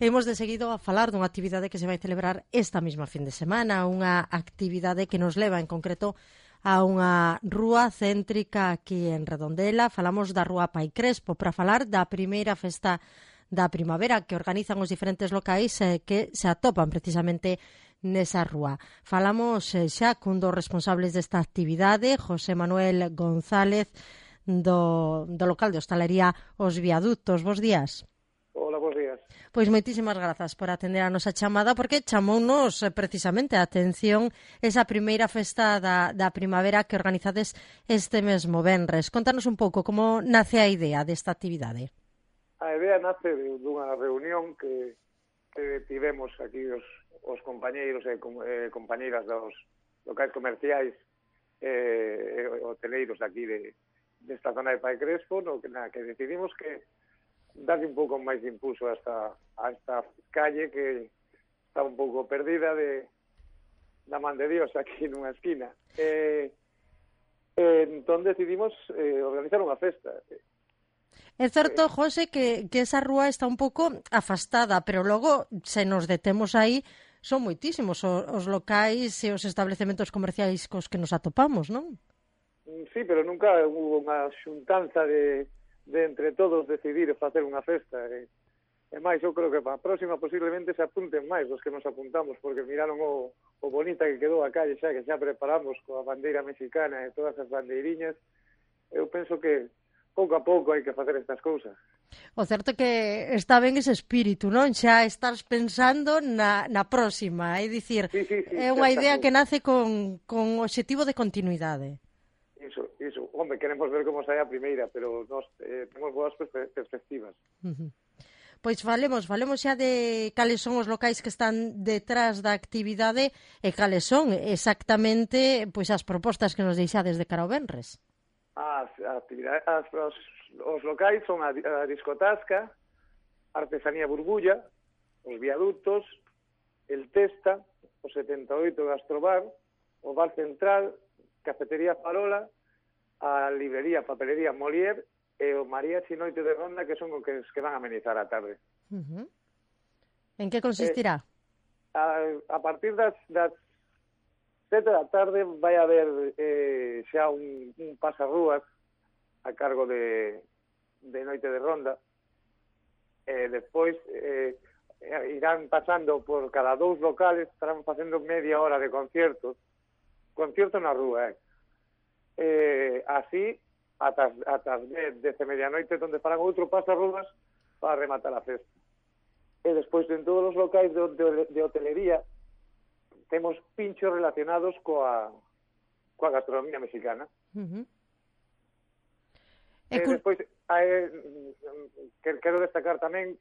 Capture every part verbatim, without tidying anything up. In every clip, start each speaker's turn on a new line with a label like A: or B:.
A: Imos de seguido a falar dunha actividade que se vai celebrar esta mesma fin de semana, unha actividade que nos leva en concreto a unha rúa céntrica aquí en Redondela. Falamos da Rúa Pai Crespo para falar da primeira festa da primavera que organizan os diferentes locais eh, que se atopan precisamente nesa rúa. Falamos eh, xa cun dos responsables desta actividade, José Manuel González, do, do local de hostalería Os Viadutos. Bos días.
B: Hola, bos días.
A: Pois moitísimas grazas por atender a nosa chamada, porque chamounos precisamente a atención esa primeira festa da, da primavera que organizades este mesmo venres. Contanos un pouco como nace a idea desta actividade.
B: A idea nace dunha reunión que, que tivemos aquí os, os compañeiros e eh, compañeiras dos locais comerciais e eh, hoteleiros aquí de, desta zona de Pai Crespo, no, que, na, que decidimos que darle un pouco máis de impulso a esta, a esta calle que está un pouco perdida de da man de Dios aquí nunha esquina. Eh, eh, entón decidimos eh, organizar unha festa.
A: É certo, José, que, que esa rúa está un pouco afastada, pero logo, se nos detemos aí, son moitísimos os, os locais e os establecementos comerciais cos que nos atopamos, non?
B: Sí, pero nunca hubo unha xuntanza de de entre todos decidir facer unha festa. E, e máis, eu creo que para a próxima posiblemente se apunten máis dos que nos apuntamos, porque miraron o, o bonita que quedou a calle xa, que xa preparamos coa bandeira mexicana e todas as bandeiriñas. Eu penso que pouco a pouco hai que facer estas cousas.
A: O certo é que está ben ese espírito, non? Xa estás pensando na, na próxima, é dicir,
B: sí, sí, sí,
A: é unha idea que nace con, con objetivo de continuidade.
B: Iso, iso. Hombre, queremos ver como sai a primeira, pero nos eh, temos boas perspectivas.
A: Uh-huh. Pois falemos, falemos xa de cales son os locais que están detrás da actividade e cales son exactamente pois as propostas que nos deixades de cara ao venres.
B: As, actividades, as, os, os locais son a, a discotasca, Artesanía Burbulla, os Viadutos, el Testa, o setenta e oito Gastrobar, o Bar Central, Cafetería Farola, a librería Papelería Molière e o Mariachi Noite de Ronda, que son os que, que van a amenizar a tarde.
A: Uh-huh. En que consistirá?
B: Eh, a, a partir das, das sete da tarde vai haber eh, xa un, un pasarrúas a cargo de, de Noite de Ronda. E despois eh, irán pasando por cada dous locales, estarán facendo media hora de conciertos. Concierto na rúa, eh? Eh, así ata, ata as dez de medianoite, onde farán outro pasarrúas para rematar a festa. E despois en todos os locais de, de, de hotelería temos pinchos relacionados coa, coa gastronomía mexicana.
A: Uh-huh.
B: E, e cu... despois hai, que, quero destacar tamén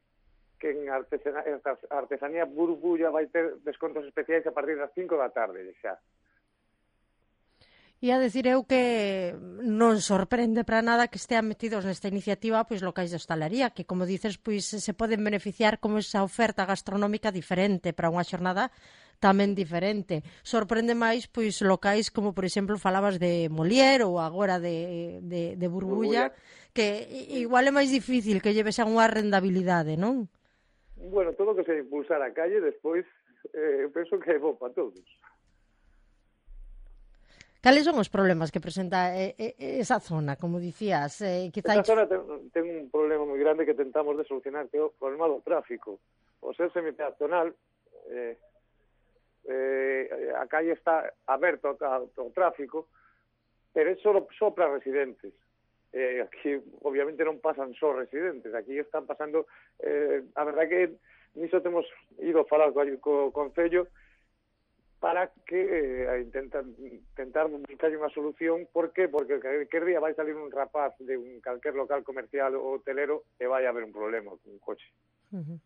B: que en artesana, Artesanía Burbulla vai ter descontos especiais a partir das cinco da tarde xa.
A: E a decir eu que non sorprende para nada que estean metidos nesta iniciativa pois locais de hostalería, que como dices, pois se poden beneficiar como esa oferta gastronómica diferente para unha xornada tamén diferente. Sorprende máis pois locais como, por exemplo, falabas de Molière ou agora de, de, de Burbulla, Burbulla, que igual é máis difícil que lleves a unha rendabilidade, non?
B: Bueno, todo o que se impulsar a calle, despois, eh, eu penso que é bo para todos.
A: Cales son os problemas que presenta eh, eh, esa zona, como dicías? Eh, quizá...
B: Esa zona ten, ten un problema moi grande que tentamos de solucionar, que é o problema do tráfico. O ser semipeatonal, eh, eh, a calle está aberta ao, ao tráfico, pero é só, só para residentes. Eh, aquí, obviamente, non pasan só residentes. Aquí están pasando... Eh, a verdad que niso temos ido a falar co, co Concello para que eh, intentan, intentar buscar unha solución. Por qué? Porque que día vai salir un rapaz de un calquer local comercial ou hotelero e vai haber un problema con un coche.
A: Uh-huh.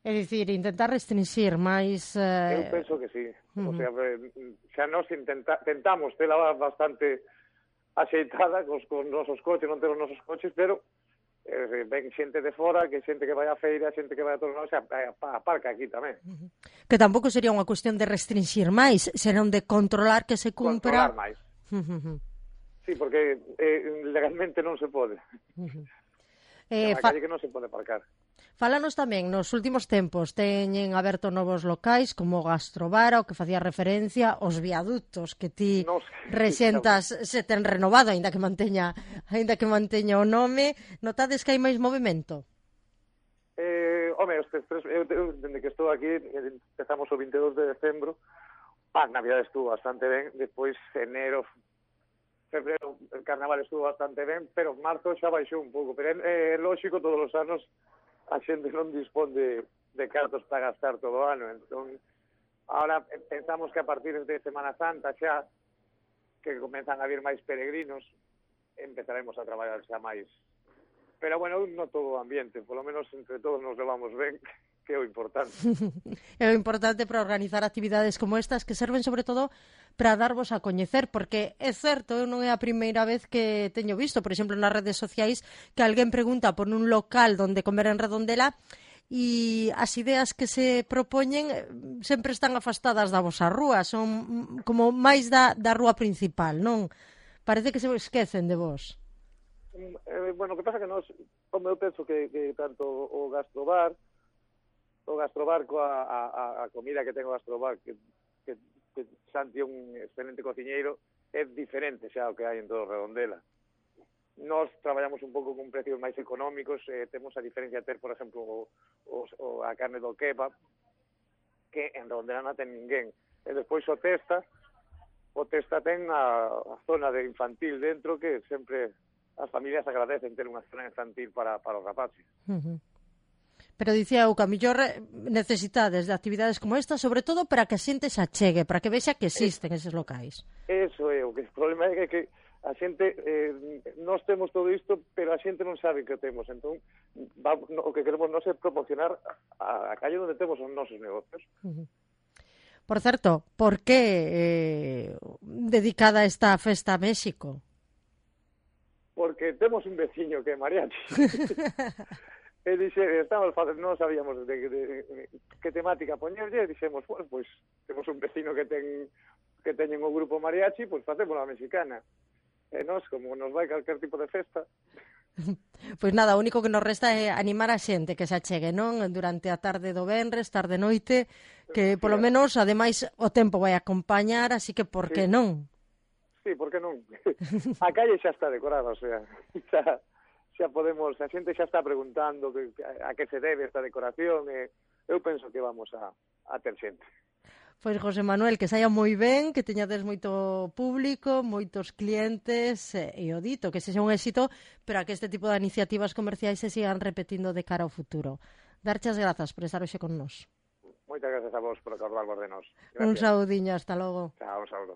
A: É dicir, intentar restringir máis... Eh...
B: Eu penso que sí. Uh-huh. O sea, xa nos intenta, tentamos tela bastante axeitada cos, con nosos coches, non temos nosos coches, pero eh, ven xente de fora, que xente que vai á feira, xente que vai a todos lados, aparca aquí tamén.
A: Uh-huh. Que tampouco sería unha cuestión de restringir máis, senón de controlar que se cumpra...
B: Controlar máis. Uh-huh. Sí, porque eh, legalmente non se pode.
A: Uh-huh.
B: É unha calle que non se pode aparcar.
A: Fálanos tamén, nos últimos tempos teñen aberto novos locais como o Gastrobar, ao que facía referencia, os viaductos que ti
B: no,
A: rexentas se ten renovado, aínda que manteña aínda que manteña o nome. Notades que hai máis movimento?
B: Eh, home, estes tres, eu, eu, dende que estou aquí, empezamos o vinte e dos de decembro, a Navidad estuvo bastante ben, despois enero, febrero, el carnaval estuvo bastante ben, pero marzo xa baixou un pouco, pero é, é lógico, todos os anos a xente non dispón de, de cartos para gastar todo o ano, entón ahora pensamos que a partir de Semana Santa xa que comenzan a vir máis peregrinos empezaremos a traballar xa máis, pero bueno, non todo o ambiente, polo menos entre todos nos levamos ben, que é o importante.
A: É o importante para organizar actividades como estas que serven sobre todo para darvos a coñecer, porque é certo, eu non é a primeira vez que teño visto, por exemplo, nas redes sociais, que alguén pregunta por un local donde comer en Redondela e as ideas que se propoñen sempre están afastadas da vosa rúa, son como máis da, da rúa principal, non? Parece que se esquecen de vos.
B: Eh, bueno, o que pasa que nós, como eu penso que, que tanto o Gastrobar, o Gastrobar coa a, a, a comida que ten o Gastrobar, que, que, que Santi é un excelente cociñeiro, é diferente xa o que hai en todo Redondela. Nós traballamos un pouco con precios máis económicos, eh, temos a diferencia de ter, por exemplo, o, o, o, a carne do kebab, que en Redondela non ten ninguén. E despois o Testa, o Testa ten a, a zona de infantil dentro, que sempre as familias agradecen ter unha zona infantil para, para os rapaces.
A: Uh-huh. Pero dicía eu que a mellor necesitades de actividades como esta, sobre todo para que a xente se achegue, para que vexa que existen eses locais.
B: Eso é, o que o problema é que a xente, eh, nós temos todo isto, pero a xente non sabe que temos, entón va, no, o que queremos nós é proporcionar a, a calle onde temos os nosos negocios.
A: Uh-huh. Por certo, por que eh, dedicada esta festa a México?
B: Porque temos un veciño que é mariachi. E dixe, estamos facendo, non sabíamos de, de, de que temática poñerlle, e dixemos, bueno, pois pues, temos un vecino que ten que teñen o grupo mariachi, pois pues, facemos a mexicana. E nós, como nos vai calquer tipo de festa.
A: Pois nada, o único que nos resta é animar a xente que se achegue, non? Durante a tarde do venres, tarde noite, que polo menos, ademais, o tempo vai acompañar, así que por que
B: sí.
A: non?
B: Sí, por que non? A calle xa está decorada, o sea, xa... xa podemos, a xente xa está preguntando que, a que se debe esta decoración, e eu penso que vamos a, a ter xente.
A: Pois, José Manuel, que saia moi ben, que teñades moito público, moitos clientes, e o dito, que sexa un éxito, pero a que este tipo de iniciativas comerciais se sigan repetindo de cara ao futuro. Darche as grazas por estar hoxe con nós.
B: Moitas grazas a vos por acordarvos de nós.
A: Un saudiño, hasta logo.
B: Chao, un saúdo.